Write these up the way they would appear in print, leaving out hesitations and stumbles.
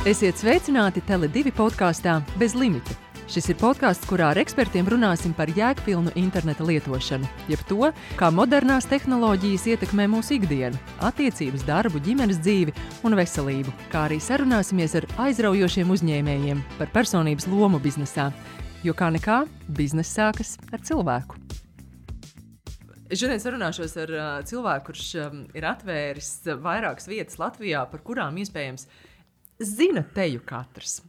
Esiet sveicināti Tele2 podkāstā Bez limita. Šis ir podkāsts, kurā ar ekspertiem runāsim par jēgpilnu interneta lietošanu, jeb to, kā modernās tehnoloģijas ietekmē mūsu ikdienu, attiecības, darbu, ģimenes dzīvi un veselību, kā arī sarunāsimies ar aizraujošiem uzņēmējiem par personības lomu biznesā, jo kā nekā, bizness sākas ar cilvēku. Šodien sarunāšos ar cilvēku, kurš ir atvēris vairākas vietas Latvijā, par kurām iespējams zina teju katrs.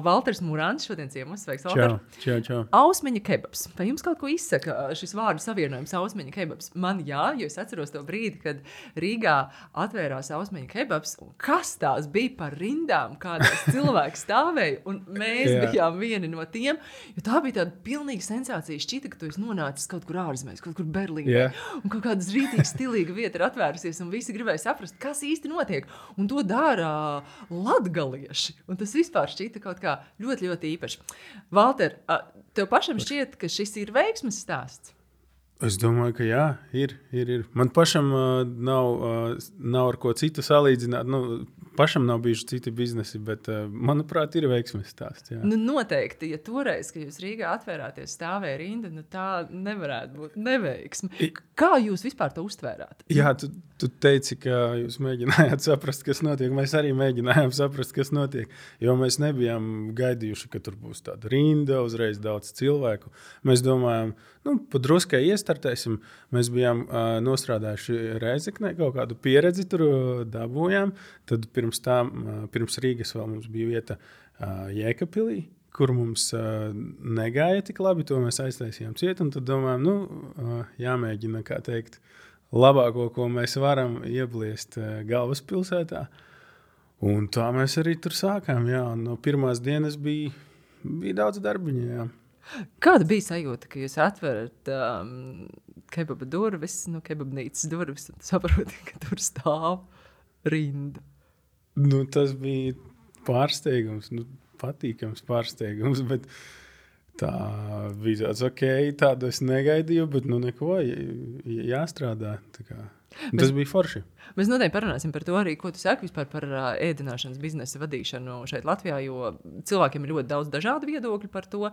Valters Murāns šodien ciemos. Sveiks, Valter. Čau. Ausmeņa kebabs. Vai jums kaut ko izsaka šis vārdu savienojums Ausmeņa kebabs? Man jā, jo es atceros to brīdi, kad Rīgā atvērās Ausmeņa kebabs. Kas tās bija par rindām, kādās cilvēki stāvēja, un mēs bijām vieni no tiem, jo tā bija tāda pilnīga sensācija. Šķita, ka tu esi nonācis kaut kur ārzemēs, kaut kur Berlīnē, un kaut kādas rītīgi stilīga vieta ir atvērusies, un visi gribēja saprast, kas īsti notiek. Un to dara latgalieši. Un tas vispār šķita kaut kā ļoti, ļoti īpaši. Valter, tev pašam šķiet, ka šis ir veiksmes stāsts? Es domāju, ka jā, ir. Man pašam nav ar ko citu salīdzināt. Pašam nav bijuši citi biznesi, bet, manuprāt, ir veiksmes stāsts. Jā. Noteikti, ja toreiz, kad jūs Rīgā atvērāties, stāvēja rinda, tā nevarētu būt neveiksme. Kā jūs vispār to uztvērāt? Jā, tu teici, ka jūs mēģinājāt saprast, kas notiek. Mēs arī mēģinājām saprast, kas notiek, jo mēs nebijām gaidījuši, ka tur būs tāda rinda, uzreiz daudz cilvēku. Mēs domājām, pa druskai iestartēsim. Mēs bijām nostrādājuši Rēzeknē, kaut kādu pieredzi tur dabūjām. Tad pirms Rīgas vēl mums bija vieta Jēkabpilī, kur mums negāja tik labi, to mēs aiztaisījām ciet, un tad domājām, jāmēģina, kā teikt, labāko, ko mēs varam iebliest galvaspilsētā. Un tā mēs arī tur sākām, jā, un no pirmās dienas bija daudz darbiņa, jā. Kāda bija sajūta, ka jūs atverat kebaba durvis, kebabnīcas durvis, un saproti, ka tur stāv rinda? Tas bija pārsteigums, patīkams pārsteigums, bet tā bija tāds, tādu es negaidīju, bet neko, jāstrādā. Tas bija forši. Mēs noteikti parunāsim par to arī, ko tu saki vispār par ēdināšanas biznesa vadīšanu šeit Latvijā, jo cilvēkiem ir ļoti daudz dažādu viedokļu par to.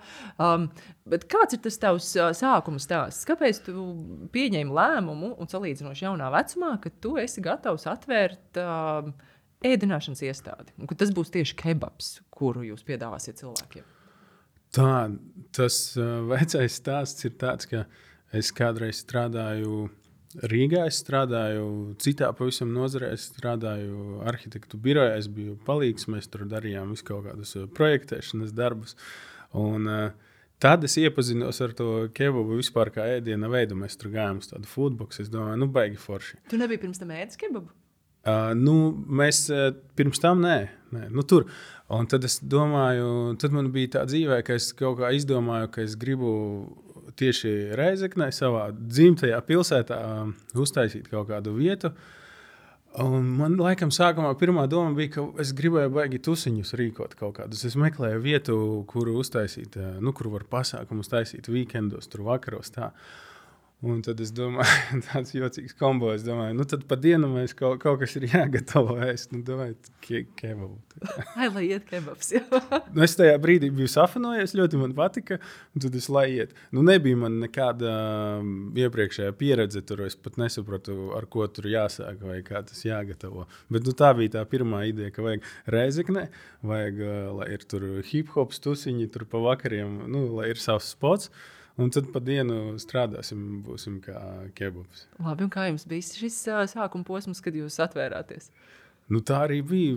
Bet kāds ir tas tavs sākuma stāsts? Kāpēc tu pieņēmi lēmumu un salīdzinoši jaunā vecumā, ka tu esi gatavs atvērt ēdināšanas iestādi? Un ka tas būs tieši kebabs, kuru jūs piedāvāsiet cilvēkiem? Tas vecais stāsts ir tāds, ka es kādreiz strādāju Rīgā, es strādāju citā pavisam nozarē, es strādāju arhitektu birojā, es biju palīgs, mēs tur darījām visu kaut kādus projektēšanas darbus. Un tad es iepazinos ar to kebabu vispār kā ēdiena veidu, mēs tur gājām uz tādu foodbox, es domāju, baigi forši. Tu nebija pirms tam ēdis kebabu? Mēs pirms tam nē, tur. Un tad es domāju, tad man bija tā dzīvē, ka es kaut kā izdomāju, ka es gribu tieši Rēzeknē, savā dzimtajā pilsētā, uztaisīt kaut kādu vietu. Un man laikam sākumā pirmā doma bija, ka es gribēju baigi tusiņus rīkot kaut kādus. Es meklēju vietu, kuru uztaisīt, kur var pasākumus taisīt weekendos, tur vakaros tā. Un tad es domāju, tāds jocīgs kombo, es domāju, tad pa dienu mēs kaut kas ir jāgatavo ēst, domāju, kebabu. Lai iet kebabs, jā. Es tajā brīdī biju safanojies, ļoti man patika, un tad es lai iet. Nebija man nekāda iepriekšējā pieredze, tur es pat nesapratu, ar ko tur jāsāk vai kā tas jāgatavo. Bet tā bija tā pirmā ideja, ka vajag Rēzeknē, vajag, lai ir tur hip-hop stusiņi, tur pa vakariem, lai ir savs spots. Un tad pa dienu strādāsim, būsim kā kebabs. Labi, un kā jums bija šis sākuma posms, kad jūs atvērāties? Tā arī bija.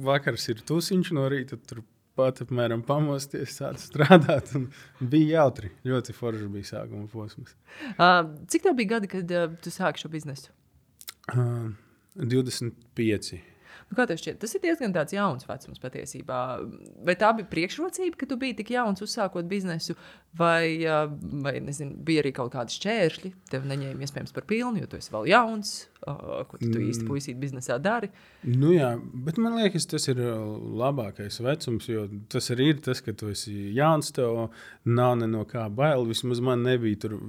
Vakars ir tusiņš no rīta, tur pat apmēram pamosties, sāc strādāt. Un bija jautri, ļoti forši bija sākuma posms. Cik tev bija gadi, kad tu sāki šo biznesu? 25. Kā tev šķiet? Tas ir diezgan tāds jauns vecums patiesībā. Vai tā bija priekšrocība, ka tu biji tik jauns uzsākot biznesu, vai nezinu, bija arī kaut kādi šķēršļi, tev neņēma iespējams par pilnu, jo tu esi vēl jauns, ko tu īsti puisīt biznesā dari? Jā, bet man liekas, tas ir labākais vecums, jo tas arī ir tas, ka tu esi jauns, tev nav ne no kā bail, vismaz man nebija tur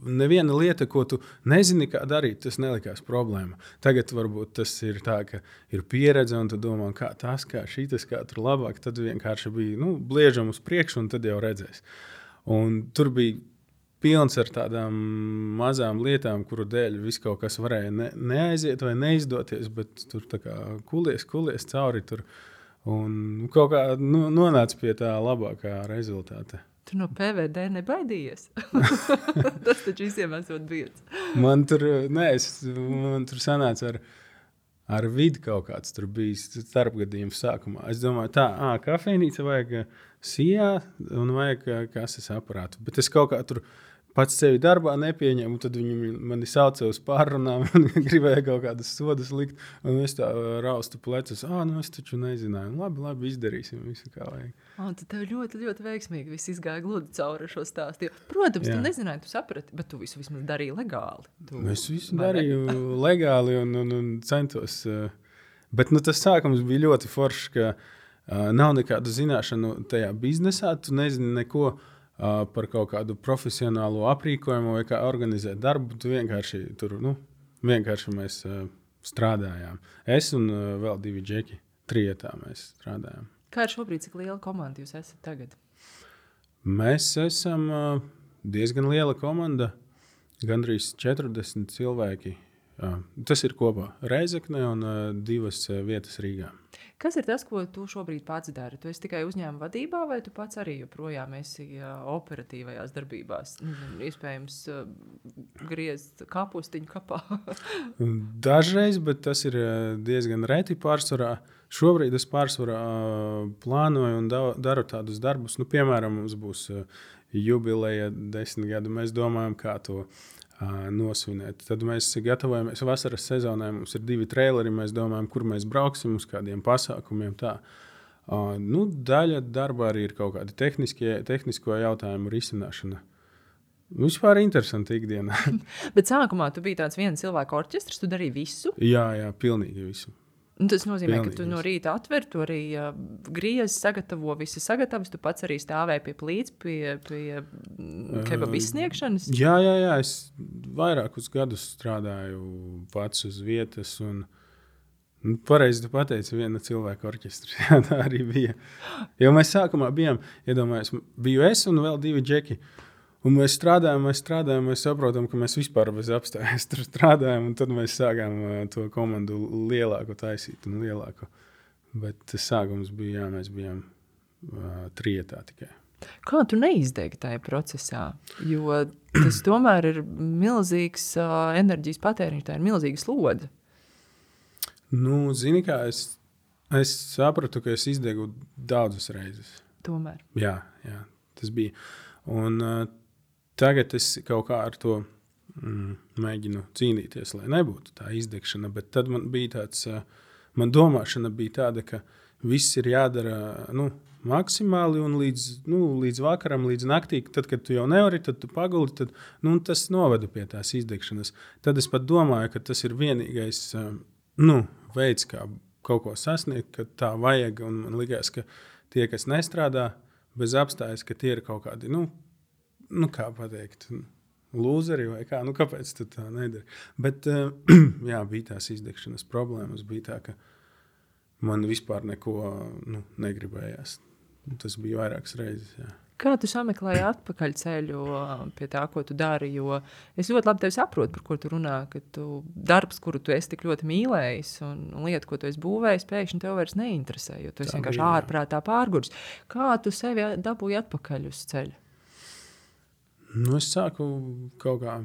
neviena lieta, ko tu nezini, kā darīt, tas nelikās problēma. Tagad varbūt tas ir tā, ka ir pieredze, un tu domā, kā tas, kā šitas, kā tur labāk. Tad vienkārši bija bliežam uz priekšu, un tad jau redzēs. Un tur bija pilns ar tādām mazām lietām, kuru dēļ viss kaut kas varēja neaiziet vai neizdoties, bet tur tā kā kulies cauri tur. Un kaut kā nonāca pie tā labākā rezultāta. Tu no PVD nebaidījies? Tas taču visiem esot biedz. Man tur sanāca ar vidi kaut kāds tur bijis starpgadījums sākumā. Es domāju, kafejnīca vajag sijā un vajag kases aparātu. Bet es kaut kā tur pats sevi darbā nepieņemu, tad viņi mani sauca uz pārrunām un gribēja kaut kādas sodas likt. Un es tā raustu plecus, es taču nezināju. Labi, izdarīsim visu, kā vajag. Un tad tev ļoti, ļoti veiksmīgi viss izgāja gludi cauri šo stāstu. Protams, tu nezināji, tu saprati, bet tu visu vismaz darīji legāli. Es visu darīju legāli un centos. Bet tas sākums bija ļoti foršs, ka nav nekādu zināšanu tajā biznesā. Tu nezini neko par kaut kādu profesionālo aprīkojumu vai kā organizēt darbu. Tu vienkārši mēs strādājām. Es un vēl 2 džeki, 3 mēs strādājām. Kā ir šobrīd, cik liela komanda jūs esat tagad? Mēs esam diezgan liela komanda, gandrīz 40 cilvēki. Tas ir kopā Reizekne un 2 vietas Rīgā. Kas ir tas, ko tu šobrīd pats dari? Tu esi tikai uzņēmuma vadībā, vai tu pats arī joprojām esi operatīvajās darbībās? Iespējams, griezt kapustiņu kapā. Dažreiz, bet tas ir diezgan reti pārsvarā. Šobrīd es pārsvarā plānoju un daru tādus darbus. Piemēram, mums būs jubileja 10 gadu. Mēs domājam, kā to nosvinēt. Tad mēs gatavojamies vasaras sezonai. Mums ir 2 traileri. Mēs domājam, kur mēs brauksim uz kādiem pasākumiem. Tā. Daļa darbā arī ir kaut kādi tehnisko jautājumu risināšana. Vispār interesanti ikdienā. Bet sākumā tu biji tāds viens cilvēku orķestrs, tu darīji visu? Jā, pilnīgi visu. Tas nozīmē, ka tu no rīta atver, tu arī griezi, sagatavo visi sagatavas, tu pats arī stāvēji pie plīts, pie kebabu izsniegšanas? Jā, es vairākus gadus strādāju pats uz vietas un pareizi tu pateici, viena cilvēka orķestris. Jā, tā arī bija. Jo mēs sākumā bijām, iedomājies, biju es un vēl 2 džeki. Un mēs strādājam, mēs saprotam, ka mēs vispār bez apstājas tur strādājam, un tad mēs sākām to komandu lielāku taisīt un lielāku. Bet tas sākums bija, mēs bijām 3 tikai. Kā tu neizdegi tajā procesā? Jo tas tomēr ir milzīgs enerģijas patēriņš, tā ir milzīga slodze. Zini kā, es sapratu, ka es izdegu daudzas reizes. Tomēr? Jā, tas bija. Un tagad es kaut kā ar to mēģinu cīnīties, lai nebūtu tā izdegšana, bet tad man bija tāds, man domāšana bija tāda, ka viss ir jādara maksimāli un līdz vakaram, līdz naktī, tad, kad tu jau nevari, tad tu paguli, tad tas noveda pie tās izdegšanas. Tad es pat domāju, ka tas ir vienīgais veids, kā kaut ko sasniegt, ka tā vajag, un man likās, ka tie, kas nestrādā bez apstājas, ka tie ir kaut kādi, kā pateikt, lūzeri vai kā, kāpēc tu tā nedari. Bet, bija tās izdegšanas problēmas, bija tā, ka man vispār neko negribējās. Tas bija vairākas reizes, jā. Kā tu sameklēji atpakaļ ceļu pie tā, ko tu dari? Jo es ļoti labi tevi saprotu, par ko tu runā, ka darbs, kuru tu esi tik ļoti mīlējis un lieta, ko tu esi būvējis, pēkšņi tev vairs neinteresē, jo tu esi vienkārši ārprātā pārgurs. Kā tu sevi dabūji atpakaļ uz ceļu? Es sāku kaut kā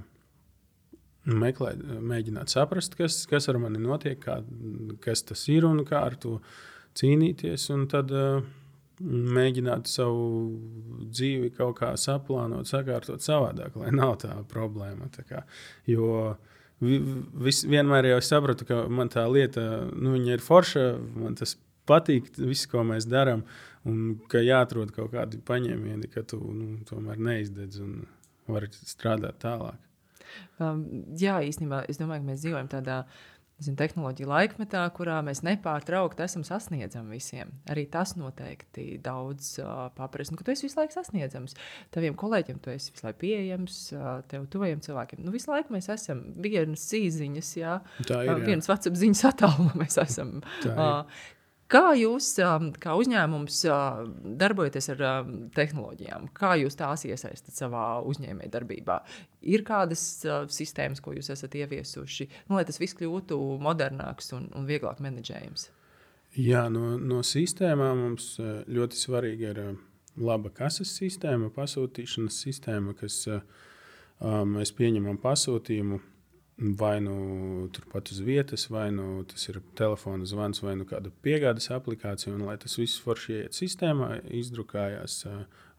mēģināt saprast, kas ar mani notiek, kas tas ir un kā ar to cīnīties. Un tad mēģināt savu dzīvi kaut kā saplānot, sakārtot savādāk, lai nav tā problēma. Jo vienmēr jau sapratu, ka man tā lieta, viņa ir forša, man tas patīk, viss, ko mēs darām, un ka jāatrod kaut kādi paņēmieni, ka tu tomēr neizdedz un vari strādāt tālāk. Jā, īstenībā es domāju, ka mēs dzīvojam tādā tehnoloģiju laikmetā, kurā mēs nepārtraukti esam sasniedzami visiem. Arī tas noteikti daudz paprasa. Tu esi visu laiku sasniedzams. Taviem kolēģiem tu esi visu laiku pieejams, tev tuvajiem cilvēkiem. Visu laiku mēs esam vienas īziņas, vienas WhatsApp ziņas attālumā mēs esam. Kā jūs, kā uzņēmums, darbojaties ar tehnoloģijām? Kā jūs tās iesaistat savā uzņēmēja darbībā? Ir kādas sistēmas, ko jūs esat ieviesuši, lai tas viss kļūtu modernāks un vieglāk menedžējams? Jā, no sistēmām mums ļoti svarīga ir laba kases sistēma, pasūtīšanas sistēma, kas mēs pieņemam pasūtījumu. Vai nu turpat uz vietas, vai nu tas ir telefona zvans, vai nu kāda piegādes aplikācija. Un, lai tas viss forši ieiet sistēmā, izdrukājās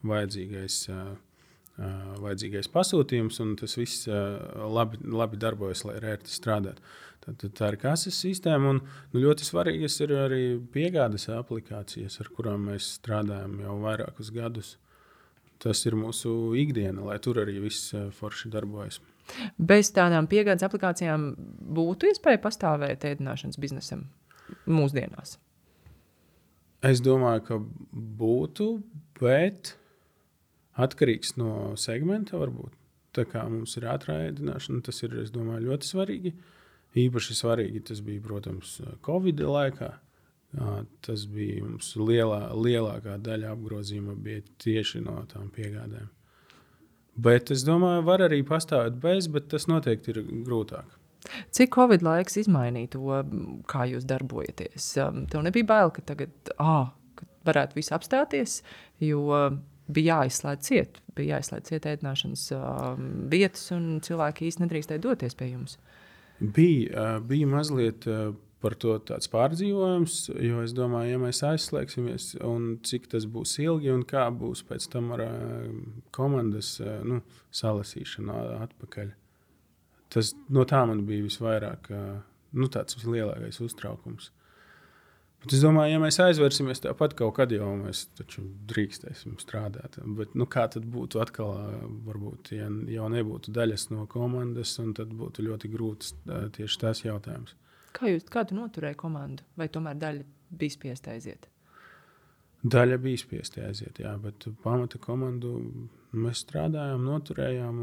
vajadzīgais pasūtījums, un tas viss labi darbojas, lai ērti strādātu. Tā ir kases sistēma, un ļoti svarīgas ir arī piegādes aplikācijas, ar kurām mēs strādājam jau vairākus gadus. Tas ir mūsu ikdiena, lai tur arī viss forši darbojas. Bez tādām piegādes aplikācijām būtu iespēja pastāvēt ēdināšanas biznesam mūsdienās? Es domāju, ka būtu, bet atkarīgs no segmenta varbūt. Tā kā mums ir ātrā ēdināšana, tas ir, es domāju, ļoti svarīgi. Īpaši svarīgi tas bija, protams, Covid laikā. Tas bija mums lielākā daļa apgrozījuma bija tieši no tām piegādēm. Bet es domāju, var arī pastāvēt bez, bet tas noteikti ir grūtāk. Cik Covid laiks izmainīja to, kā jūs darbojaties? Tev nebija bail, ka tagad ka varētu viss apstāties, jo bija jāizslēdz ciet ēdināšanas vietas un cilvēki īsti nedrīkstēja doties pie jums? Bija mazliet par to tāds pārdzīvojums, jo es domāju, ja mēs aizslēgsimies un cik tas būs ilgi un kā būs pēc tam ar komandas salasīšanu atpakaļ. No tā man bija visvairāk tāds vislielākais uztraukums. Bet es domāju, ja mēs aizvērsimies tāpat kaut kad jau mēs taču drīkstēsim strādāt. Bet kā tad būtu atkal, varbūt, ja jau nebūtu daļas no komandas, un tad būtu ļoti grūts tieši tas jautājums. Kā tu noturēji komandu? Vai tomēr daļa bija spiesta aiziet? Daļa bija spiesta aiziet, jā, bet pamata komandu mēs strādājām, noturējām.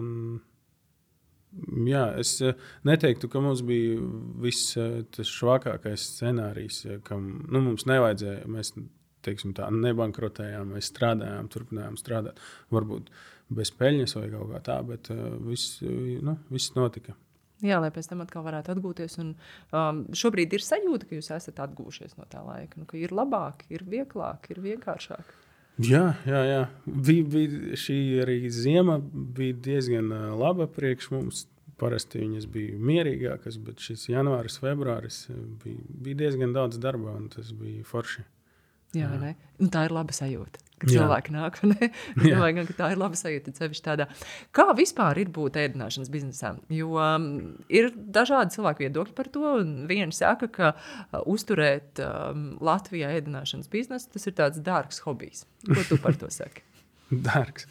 Es neteiktu, ka mums bija viss tas švakākais scenārijs, kam mums nevajadzēja. Mēs nebankrotējām, mēs strādājām, turpinājām strādāt. Varbūt bez peļņas vai kaut kā tā, bet viss notika. Jā, lai pēc tam atkal varētu atgūties. Un, šobrīd ir sajūta, ka jūs esat atgūšies no tā laika. Ka ir labāk, ir vieglāk, ir vienkāršāk. Jā. Bija šī arī ziema bija diezgan laba priekš mums. Parasti viņas bija mierīgākas, bet šis janvāris, februāris bija diezgan daudz darba, un tas bija forši. Jā. Ne? Un tā ir laba sajūta, kad cilvēki nāk. Domāju, ka tā ir laba sajūta. Tādā. Kā vispār ir būt ēdināšanas biznesā? Jo ir dažādi cilvēku viedokļi par to. Vieni saka, ka uzturēt Latvijā ēdināšanas biznesu, tas ir tāds dārgs hobijs. Ko tu par to saki? Dārgs.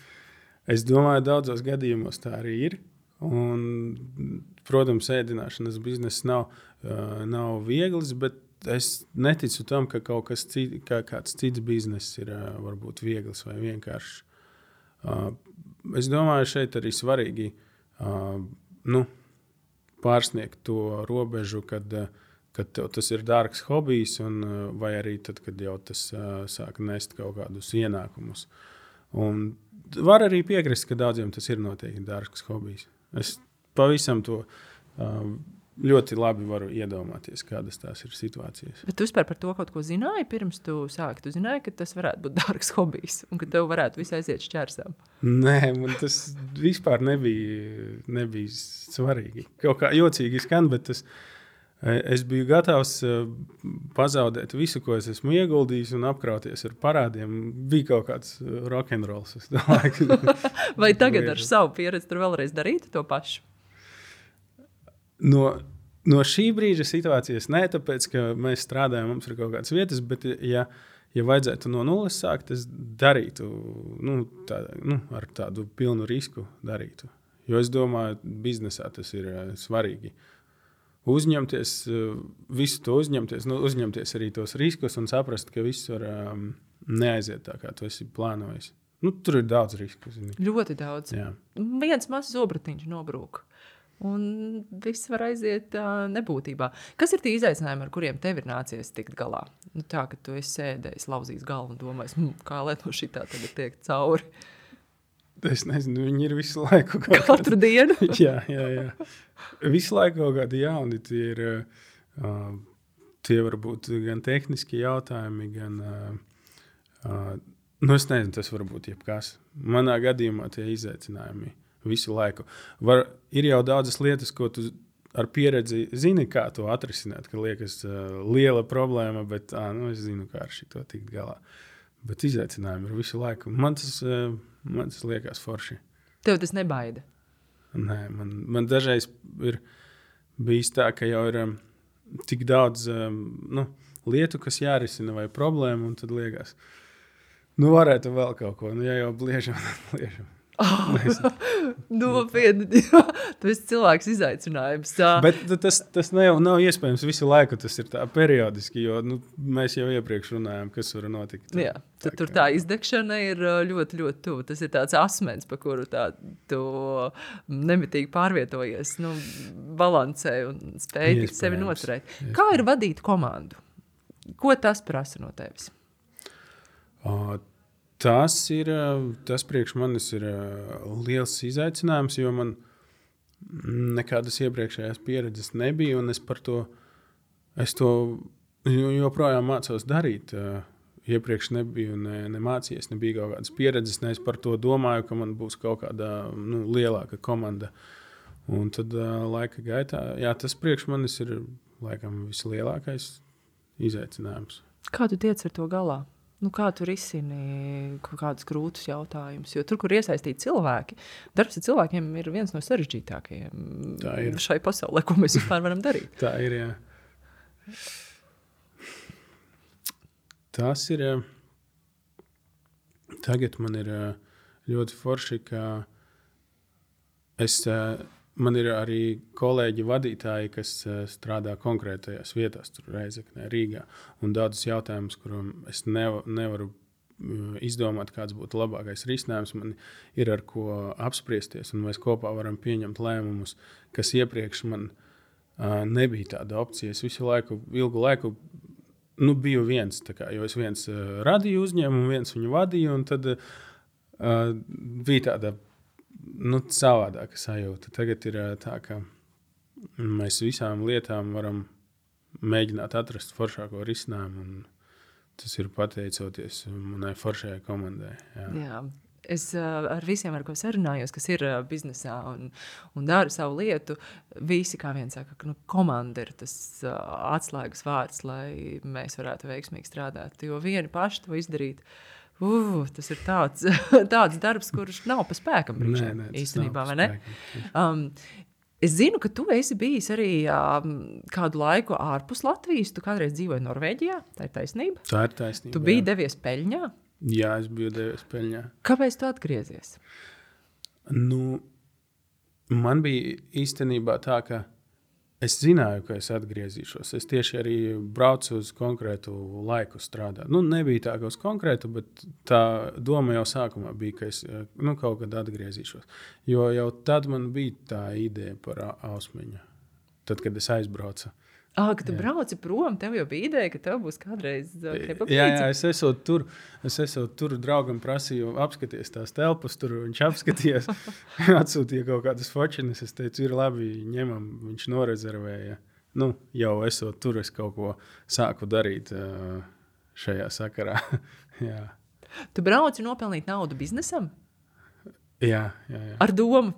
Es domāju, daudzos gadījumos tā arī ir. Un, protams, ēdināšanas bizness nav viegls, bet es neticu tam, ka kāds cits bizness ir varbūt viegls vai vienkāršs. Es domāju, šeit arī svarīgi pārsniegt to robežu, kad tev tas ir dārgs hobijs, vai arī tad, kad jau tas sāk nest kaut kādus ienākumus. Un var arī piekrist, ka daudziem tas ir noteikti dārgs hobijs. Es pavisam to ļoti labi varu iedomāties, kādas tās ir situācijas. Bet tu vispār par to kaut ko zināji pirms tu sāki? Tu zināji, ka tas varētu būt dārgs hobijs un ka tev varētu viss aiziet šķērsām? Nē, man tas vispār nebija svarīgi. Kaut kā jocīgi skan, bet es biju gatavs pazaudēt visu, ko es esmu ieguldījis un apkrauties ar parādiem. Bija kaut kāds rock'n'rolls. Vai tagad ar savu pieredzi tur vēlreiz darītu to pašu? No šī brīža situācijas nē, tāpēc, ka mēs strādājam, mums ir kaut kādas vietas, bet ja vajadzētu no nulles sākt, es darītu, ar tādu pilnu risku darītu. Jo es domāju, biznesā tas ir svarīgi. uzņemties, visu to uzņemties arī tos riskus un saprast, ka viss var neaiziet tā, kā tu esi plānojis. Tur ir daudz risku. Zini. Ļoti daudz. Jā. Viens mazs zobratiņš nobrūk. Un viss var aiziet nebūtībā. Kas ir tie izaicinājumi, ar kuriem tev ir nācies tikt galā? Tā, ka tu esi sēdējis, lauzījis galvu un domājis, kā lai no šitā tagad tiek cauri. Es nezinu, viņi ir visu laiku. Katru dienu? jā. Visu laiku kaut kādi jauni. Tie var būt gan tehniski jautājumi, gan... es nezinu, tas var būt jebkas. Manā gadījumā tie izaicinājumi visu laiku. Ir jau daudzas lietas, ko tu ar pieredzi zini, kā to atrisināt, ka liekas liela problēma, bet es zinu, kā ar šito tikt galā. Bet izaicinājumi ir visu laiku. Man tas liekas forši. Tev tas nebaida? Nē, man dažreiz ir bijis tā, ka jau ir tik daudz lietu, kas jārisina vai problēma, un tad liekas, varētu vēl kaut ko. Ja jau bliežam, tad bliežam. Nopietni, tu esi cilvēks izaicinājums. Bet tas nav iespējams visu laiku, tas ir tā periodiski, jo mēs jau iepriekš runājām, kas var notikt. Jā, tad tur tā izdegšana ir ļoti, ļoti tuvu. Tas ir tāds asmens, pa kuru tu nemitīgi pārvietojies, balansē un spēj sevi noturēt. Kā ir vadīt komandu? Ko tas prasa no tevis? Tas priekš manis ir liels izaicinājums, jo man nekādas iepriekšējās pieredzes nebija, un es to joprojām mācos darīt. Iepriekš nebiju nemācījies, nebija kaut kādas pieredzes, ne es par to domāju, ka man būs kaut kāda lielāka komanda. Un tad laika gaitā, tas priekš manis ir laikam vislielākais izaicinājums. Kā tu tiec ar to galā? Kā tu risini kādus grūtus jautājumus? Jo tur, kur iesaistīti cilvēki, darbs ar cilvēkiem ir viens no sarežģītākajiem šai pasaulē, ko mēs vispār varam darīt. Tā ir, jā. Tas ir... Tagad man ir ļoti forši, ka man ir arī kolēģi vadītāji, kas strādā konkrētajās vietās, tur Reizeknē, Rīgā, un daudzus jautājumus, kuriem es nevaru izdomāt, kāds būtu labākais risinājums. Man ir ar ko apspriesties, un mēs kopā varam pieņemt lēmumus, kas iepriekš man nebija tāda opcija. Es ilgu laiku biju viens, jo es viens radīju uzņēmumu, viens viņu vadīju, un tad bija tāda savādāka sajūta. Tagad ir tā, ka mēs visām lietām varam mēģināt atrast foršāko risinājumu, un tas ir pateicoties manai foršajai komandai. Jā. Es ar visiem, ar ko sarunājos, kas ir biznesā un dara savu lietu, visi kā viens saka, ka komanda ir tas atslēgas vārds, lai mēs varētu veiksmīgi strādāt. Jo vieni paši to izdarīt, tas ir tāds darbs, kurš nav pa spēkam brīžiem, īstenībā, vai ne? Es zinu, ka tu esi bijis arī kādu laiku ārpus Latvijas. Tu kādreiz dzīvoji Norvēģijā, tā ir taisnība? Tā ir taisnība. Tu biji devies peļņā? Jā, es biju devies peļņā. Kāpēc tu atgriezies? Man bija īstenībā tā, ka es zināju, ka es atgriezīšos. Es tieši arī braucu uz konkrētu laiku strādāt. Nebija tā, ka uz konkrētu, bet tā doma jau sākumā bija, ka es kaut kad atgriezīšos. Jo jau tad man bija tā ideja par Ausmeņu. Tad, kad es aizbraucu. Kad tu brauci prom, tev jau bija ideja, ka tev būs kādreiz kebabnīca? Jā, es esot tur draugam prasīju apskaties tās telpas, tur viņš apskatījās, atsūtīja kaut kādas fočinas, es teicu, ir labi, ņemam, viņš norezervēja. Jau esot tur, es kaut ko sāku darīt šajā sakarā. Jā. Tu brauci nopelnīt naudu biznesam? Jā. Ar domu?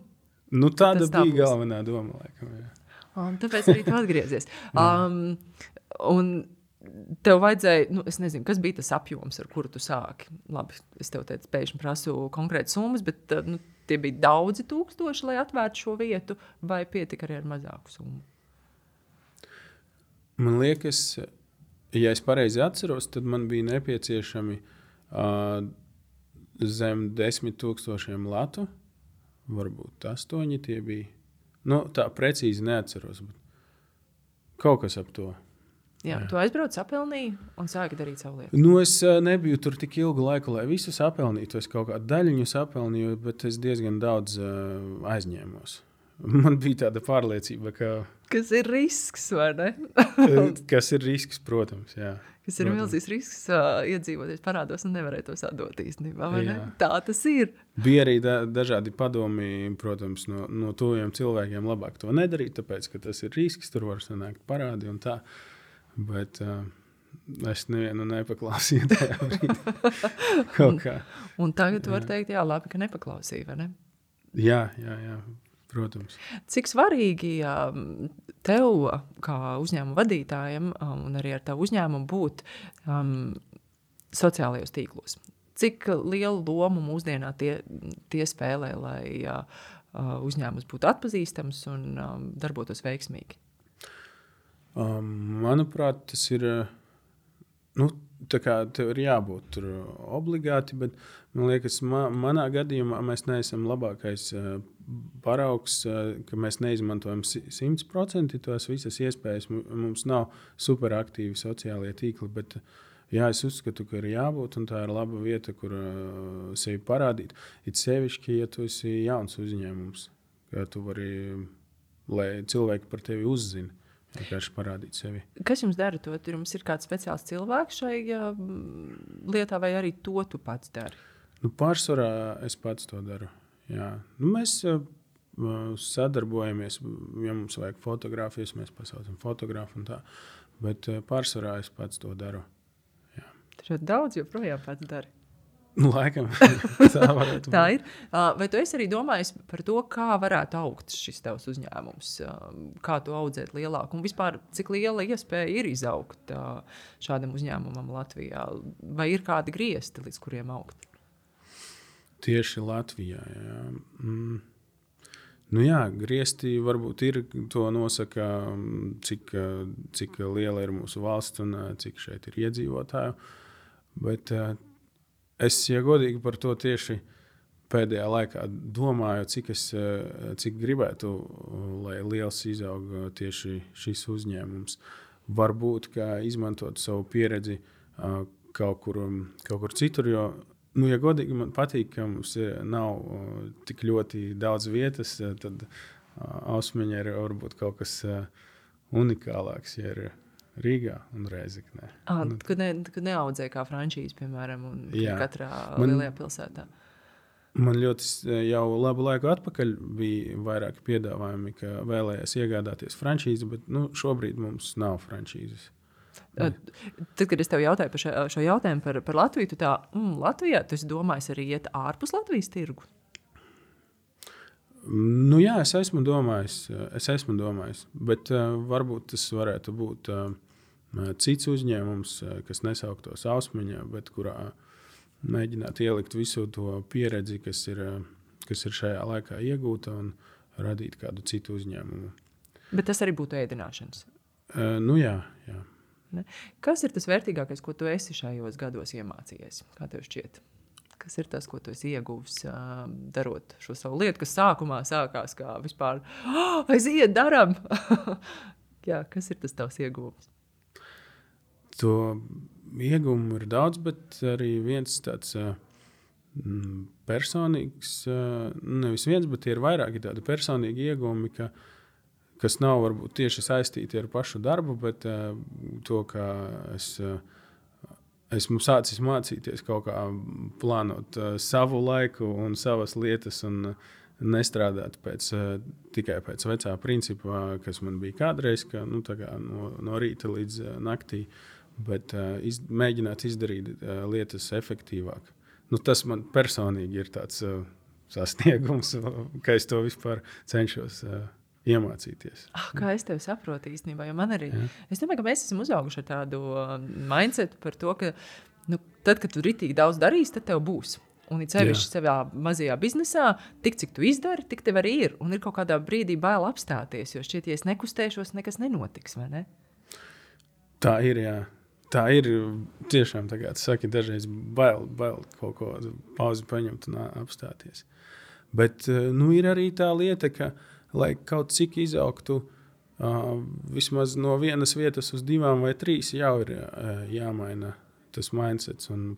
Tāda bija galvenā doma, laikam, jā. Un tāpēc arī tu atgriezies. Un tev vajadzēja, es nezinu, kas bija tas apjoms, ar kuru tu sāki. Labi, es tev teicu, pēkšņi prasu konkrētas summas, bet tie bija daudzi tūkstoši, lai atvērtu šo vietu, vai pietika arī ar mazāku summu? Man liekas, ja es pareizi atceros, tad man bija nepieciešami zem 10,000 latu, varbūt 8 tie bija. Tā precīzi neatceros. Bet Kaut kas ap to. Jā. Tu aizbrauc, apelnīji un sāki darīt savu lietu. Nu, es nebiju tur tik ilgu laiku, lai visu sapelnītu. Es kaut kādu daļiņu sapelnīju, bet es diezgan daudz aizņēmos. Man bija tāda pārliecība, ka... Kas ir risks, vai ne? Kas ir risks, protams, jā. Kas ir milzīgs risks iedzīvoties parādos un nevarēt tos atdot īstenībā, vai ne? Tā tas ir. Bija arī dažādi padomi, protams, no tuviem cilvēkiem labāk to nedarīt, tāpēc, ka tas ir risks, tur var sanākt parādi un tā. Bet es nevienu nepaklausīju tajā brīdī. Kaut kā. Un tagad tu vari teikt, jā, labi, ka nepaklausīju, vai ne? Jā, protams. Cik svarīgi tev, kā uzņēmuma vadītājam, un arī ar tavu uzņēmumu būt sociālajos tīklos? Cik lielu lomu mūsdienā tie spēlē, lai uzņēmums būtu atpazīstams un darbotos veiksmīgi? Manuprāt, tas ir, tā kā tev ir jābūt tur obligāti, bet man liekas, manā gadījumā mēs neesam labākais paraugs, ka mēs neizmantojam 100% tos visas iespējas. Mums nav superaktīvi sociālie tīkli, bet jā, es uzskatu, ka ir jābūt, un tā ir laba vieta, kur sevi parādīt. It sevišķi, ja tu esi jauns uzņēmums, ka tu vari, lai cilvēki par tevi uzzina. Vienkārši parādīt sevi. Kas jums dara to? Jums ir kāds speciāls cilvēks šai lietā, vai arī to tu pats dari? Pārsvarā es pats to daru. Jā. Mēs sadarbojamies, ja mums vajag fotogrāfijas, mēs pasaucam fotografu un tā. Bet pārsvarā es pats to daru. Jā. Tad daudz joprojām pats dari. Laikam, tā varētu būt. Tā ir. Vai tu esi arī domājis par to, kā varētu augt šis tavs uzņēmums? Kā tu audzēt lielāku? Un vispār, cik liela iespēja ir izaugt šādam uzņēmumam Latvijā? Vai ir kādi griesti, līdz kuriem augt? Tieši Latvijā, jā. Griesti varbūt ir, to nosaka, cik liela ir mūsu valsts un cik šeit ir iedzīvotāju. Bet es, ja godīgi par to tieši pēdējā laikā domāju, cik gribētu, lai liels izaug tieši šis uzņēmums. Varbūt, ka izmantot savu pieredzi kaut kur citur, jo, ja godīgi man patīk, ka mums nav tik ļoti daudz vietas, tad Ausmeņa ir varbūt kaut kas unikālāks, ja ir Rīgā un Rēzeknē. Kad neaudzēja kā frančīze, piemēram, un katrā lielajā pilsētā. Man ļoti jau labu laiku atpakaļ bija vairāki piedāvājumi, ka vēlējās iegādāties frančīzi, bet šobrīd mums nav frančīzes. Tad, kad es tev jautāju par šo jautājumu par Latviju, tu Latvijā, tu esi domājis arī iet ārpus Latvijas tirgu? Jā, es esmu domājis, bet varbūt tas varētu būt cits uzņēmums, kas nesauktos Ausmeņā, bet kurā mēģināt ielikt visu to pieredzi, kas ir šajā laikā iegūta, un radīt kādu citu uzņēmumu. Bet tas arī būtu ēdināšanas? Jā. Ne? Kas ir tas vērtīgākais, ko tu esi šajos gados iemācījies? Kā tev šķiet? Kas ir tas, ko tu esi ieguvis darot šo savu lietu, kas sākumā sākās kā vispār aiziet, daram? Jā, kas ir tas tavs ieguvums? To ieguvumu ir daudz, bet arī viens tāds personīgs, nevis viens, bet ir vairāki tādi personīgi ieguvumi, kas nav varbūt tieši saistīti ar pašu darbu, bet to, ka esmu sācis mācīties kaut kā plānot savu laiku un savas lietas un nestrādāt tikai pēc vecā principā, kas man bija kādreiz, ka no rīta līdz naktī, bet mēģināt izdarīt lietas efektīvāk. Tas man personīgi ir tāds sasniegums, ka es to vispār cenšos iemācīties. Kā es tevi saprotu īstenībā, jo man arī, es domāju, ka mēs esam uzauguši ar tādu mindsetu par to, ka tad, kad tu ritīgi daudz darīsi, tad tev būs. Un it sevišķi savā mazajā biznesā, tik cik tu izdari, tik tev arī ir. Un ir kaut kādā brīdī bail apstāties, jo šķiet, ja es nekustēšos, nekas nenotiks, vai ne? Tā ir, jā. Tā ir tiešām, tā kā tu saki, dažreiz bail kaut ko pauzi paņemt un apstāties. Bet ir arī tā lieta, ka, lai kaut cik izaugtu vismaz no vienas vietas uz 2 vai 3 jau ir jāmaina tas mindsets un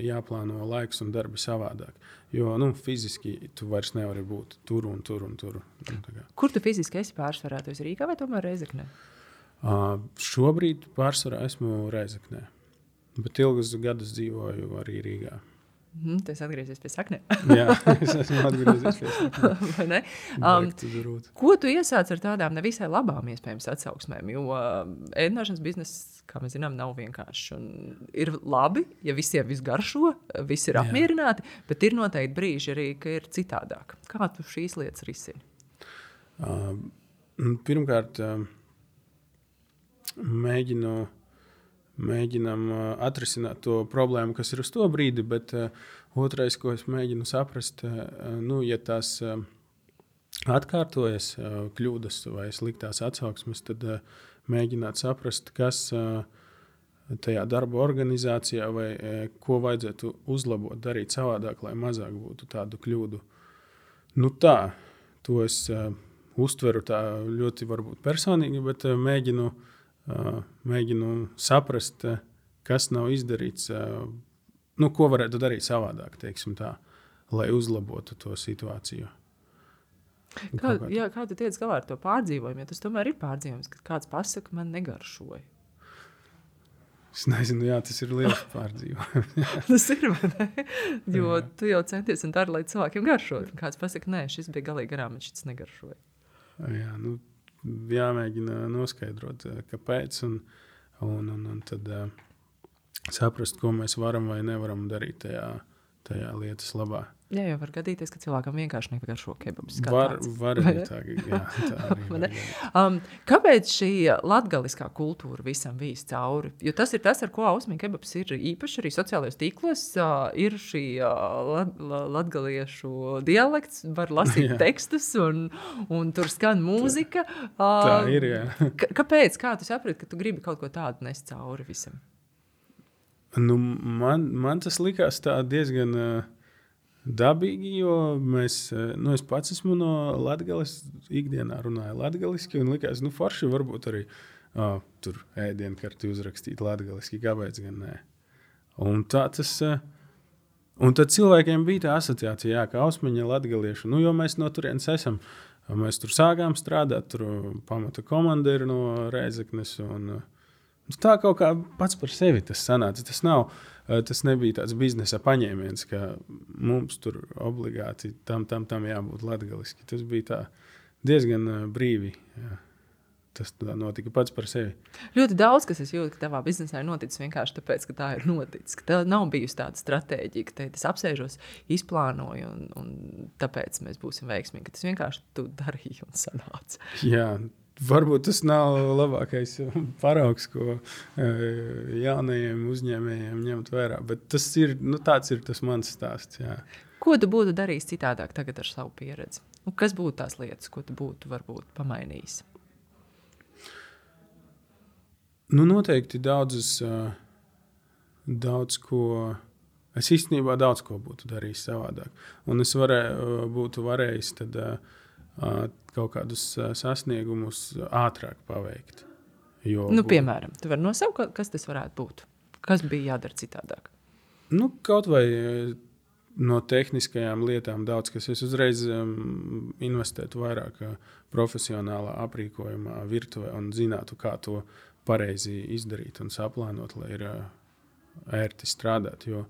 jāplāno laiks un darbi savādāk. Jo fiziski tu vairs nevari būt tur un tur un tur. Kur tu fiziski esi pārsvarā? Tu esi Rīgā vai tomēr Reizeknē? Šobrīd pārsvarā esmu Reizeknē, bet ilgus gadus dzīvoju arī Rīgā. Tu esi atgriezies pie saknēm. Jā, es esmu atgriezies pie saknēm. Vai ne? Ko tu iesāc ar tādām nevisai labām iespējams atsauksmēm? Jo ēdināšanas bizness, kā mēs zinām, nav vienkārši. Un ir labi, ja visiem viss garšo, visi ir apmierināti, bet ir noteikti brīži arī, ka ir citādāk. Kā tu šīs lietas risini? Pirmkārt, mēģinam atrisināt to problēmu, kas ir uz to brīdi, bet otrais, ko es mēģinu saprast, ja tās atkārtojas kļūdas vai sliktās atsauksmes, tad mēģināt saprast, kas tajā darba organizācijā vai ko vajadzētu uzlabot, darīt savādāk, lai mazāk būtu tādu kļūdu. To es uztveru tā ļoti varbūt personīgi, bet mēģinu saprast, kas nav izdarīts, ko varētu darīt savādāk, teiksim tā, lai uzlabotu to situāciju. Kā tu tiec galā ar to pārdzīvojumu? Ja tas tomēr ir pārdzīvojums, kad kāds pasaka, man negaršoja. Es nezinu, tas ir liels pārdzīvojums. Tas ir, vai ne? Jo tu jau centies un dari, lai cilvēkiem garšot. Kāds pasaka, nē, šis bija galīgi garām, bet šis negaršoja. Jā, jāmēģina noskaidrot, kāpēc, un tad saprast, ko mēs varam vai nevaram darīt tajā lietas labā. Jā, jau var gadīties, ka cilvēkam vienkārši negaršo kebabs. Var arī tā, tā arī. Kāpēc šī latgaliskā kultūra visam vīs cauri? Jo tas ir tas, ar ko Ausmiņa kebabs ir īpaši arī sociālajos tīklos. Ir šī latgaliešu dialekts, var lasīt tekstus un tur skan mūzika. Tā ir, jā. Kāpēc? Kā tu saprati, ka tu gribi kaut ko tādu nest cauri visam? Man tas likās tā diezgan dabīgi, jo es pats esmu no Latgales, ikdienā runāju latgaliski, un likās, forši varbūt arī tur ēdienkarti uzrakstīt latgaliski, kāpēc gan nē. Un tad cilvēkiem bija tā asociācija, ka Ausmiņa latgaliešu, jo mēs no turienes esam, mēs tur sākām strādāt, tur pamata komanda ir no Reizeknes, un tā kaut kā pats par sevi tas sanāca. Tas nebija tāds biznesa paņēmiens, ka mums tur obligāti tam jābūt latgaliski. Tas bija tā diezgan brīvi. Jā. Tas tā notika pats par sevi. Ļoti daudz, kas es jūtu, ka tavā biznesā ir noticis vienkārši tāpēc, ka tā ir noticis. Ka tev nav bijusi tāda stratēģija, ka es apsēžos, izplānoju un tāpēc mēs būsim veiksmīgi. Ka tas vienkārši tu darīji un sanāca. Jā. Varbūt tas nav labākais paraugs, ko jaunajiem uzņēmējiem ņemt vērā, bet tas ir, tāds ir tas mans stāsts. Jā. Ko tu būtu darījis citādāk tagad ar savu pieredzi? Kas būtu tās lietas, ko tu būtu varbūt pamainījis? Noteikti es īstenībā daudz ko būtu darījis savādāk. Un es būtu varējis tad kaut kādus sasniegumus ātrāk paveikt. Piemēram, tu vari nosaukt, kas tas varētu būt? Kas bija jādara citādāk? Kaut vai no tehniskajām lietām daudz, kas es uzreiz investētu vairāk profesionālā aprīkojumā, virtuvē un zinātu, kā to pareizi izdarīt un saplānot, lai ir ērti strādāt. Jo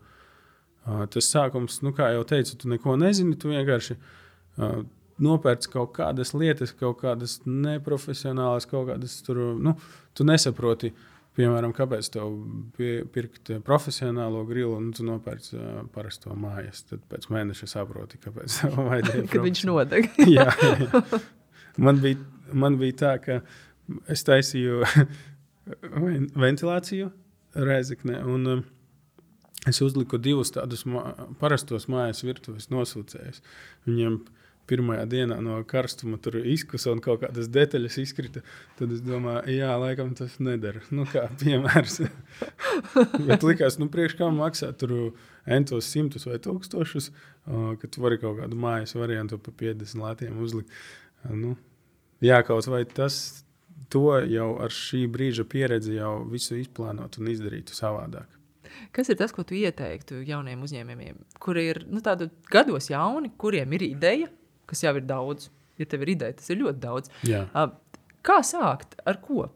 tas sākums, kā jau teicu, tu neko nezini, tu vienkārši nopērc kaut kādas lietas, kaut kādas neprofesionālas, kaut kādas tur, tu nesaproti, piemēram, kāpēc tev pirkt profesionālo grilu, un tu nopērc parasto mājas. Tad pēc mēneša saproti, kāpēc tev vajadzēja. Kad viņš nodeg. Jā. Man bija tā, ka es taisīju ventilāciju Reizeknē, un es uzliku 2 tādus parastos mājas virtuves nosūcējus. Viņiem pirmajā dienā no karstuma tur izkusa un kaut kādas detaļas izkrita, tad es domāju, laikam tas nedara. Kā piemērs. Bet likās, priekš kā maksā tur entos 100 vai 1000, ka tu vari kaut kādu mājas variantu pa 50 latiem uzlikt. Kaut vai tas to jau ar šī brīža pieredzi jau visu izplānot un izdarītu savādāk. Kas ir tas, ko tu ieteiktu jauniem uzņēmējiem, kuri ir tādu gados jauni, kuriem ir ideja, kas jau ir daudz? Ja tev ir ideja, tas ir ļoti daudz. Jā. Kā sākt? Ar ko?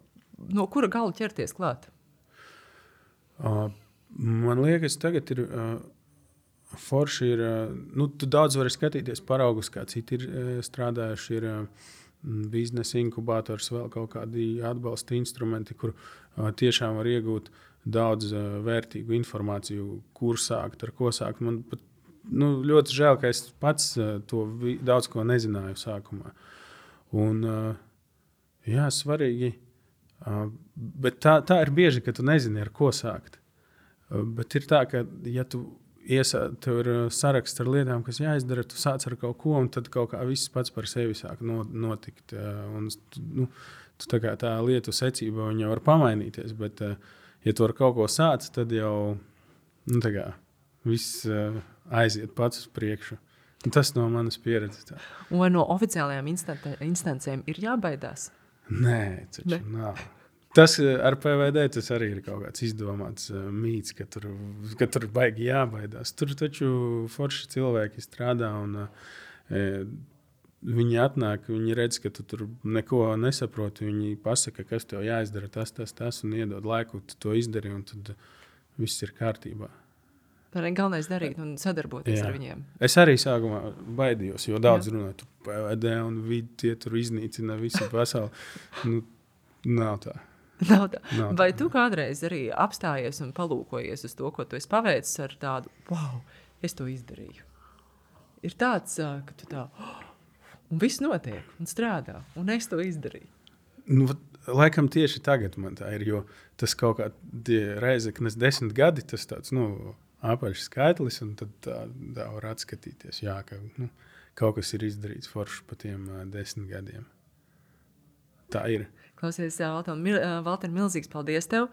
No kura gala ķerties klāt? Man liekas, tagad ir forši ir, tu daudz vari skatīties paraugus, kā citi ir strādājuši, ir biznesa inkubators, vēl kaut kādi atbalsta instrumenti, kur tiešām var iegūt daudz vērtīgu informāciju, kur sākt, ar ko sākt. Man pat, ļoti žēl, ka es pats to daudz ko nezināju sākumā. Un, jā, svarīgi, bet tā ir bieži, ka tu nezini, ar ko sākt. Bet ir tā, ka ja tev ir saraksts ar lietām, kas jāizdara, tu sāc ar kaut ko, un tad kaut kā viss pats par sevi sāk notikt. Un, tu tā lietu secība viņa var pamainīties, bet ja tu ar kaut ko sāc, tad jau viss aiziet pats uz priekšu. Un tas no manas pieredzes. Tā. Un vai no oficiālajām instancēm ir jābaidās? Nē, taču nav. Tas ar PVD tas arī ir kaut kāds izdomāts mīts, ka tur baigi jābaidās. Tur taču forši cilvēki strādā un viņi atnāk, viņi redz, ka tu tur neko nesaproti. Viņi pasaka, kas tev jāizdara, tas un iedod laiku, tu to izdari un tad viss ir kārtībā. Tā ir galvenais darīt un sadarboties ar viņiem. Es arī sākumā baidījos, jo daudz runāju, tu PVD un vidi tie tur iznīcina visu pasauli. Nav tā. Nav tā. Vai tu kādreiz arī apstājies un palūkojies uz to, ko tu esi paveicis ar tādu, wow, es to izdarīju? Ir tāds, ka tu tā, un viss notiek, un strādā, un es to izdarīju. Laikam tieši tagad man tā ir, jo tas kaut kā Reizeknes 10 gadi, tas tāds, apaļš skaitlis, un tad tā var atskatīties, jā, ka kaut kas ir izdarīts forši pa tiem 10 gadiem. Tā ir. Klausies, Valter, milzīgs paldies tev.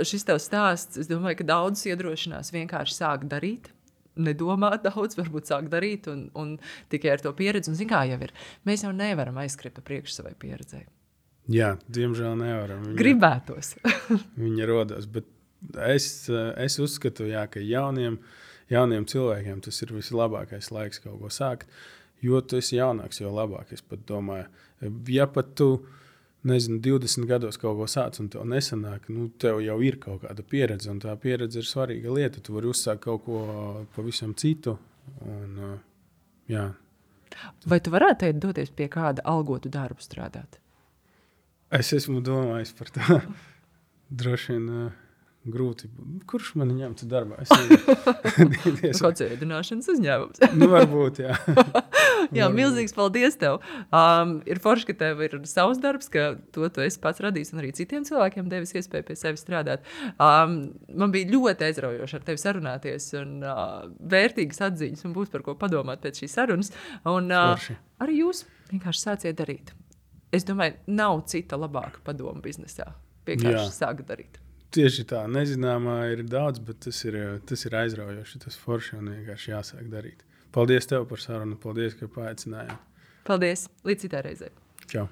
Šis tev stāsts, es domāju, ka daudz iedrošinās vienkārši sākt darīt, nedomāt daudz, varbūt sākt darīt un tikai ar to pieredzi. Un zin kā jau ir, mēs jau nevaram aizskriet pa priekšu savai pieredzei. Jā, diemžēl nevaram. Gribētos. Viņa rodas, bet es uzskatu, jā, ka jauniem cilvēkiem tas ir vislabākais laiks kaut ko sākt, jo tu esi jaunāks, jo labāk, es pat domāju. Ja pat tu, 20 gados kaut ko sāc un tev nesanāk, tev jau ir kaut kāda pieredze, un tā pieredze ir svarīga lieta. Tu vari uzsākt kaut ko pavisam citu. Un, jā. Vai tu varētu doties pie kāda algotu darbu strādāt? Es esmu domājis par to. Droši vien grūti. Kurš mani ņemtu darbā? Kāds ēdināšanas uzņēmums. Varbūt, jā. Jā, milzīgs paldies tev. Ir forši, ka tev ir savs darbs, ka to tu esi pats radījis un arī citiem cilvēkiem devis iespēju pie sevi strādāt. Man bija ļoti aizraujoši ar tevi sarunāties un vērtīgas atziņas un būs par ko padomāt pēc šīs sarunas. Un arī jūs vienkārši sāciet darīt. Es domāju, nav cita labāka padoma biznesā. Vienkārši sākt darīt. Tieši tā, nezināmā ir daudz, bet tas ir aizraujoši, tas forši un vienkārši jāsāk darīt. Paldies tev par sarunu, paldies, ka paaicinājāt. Paldies, līdz citai reizei. Čau.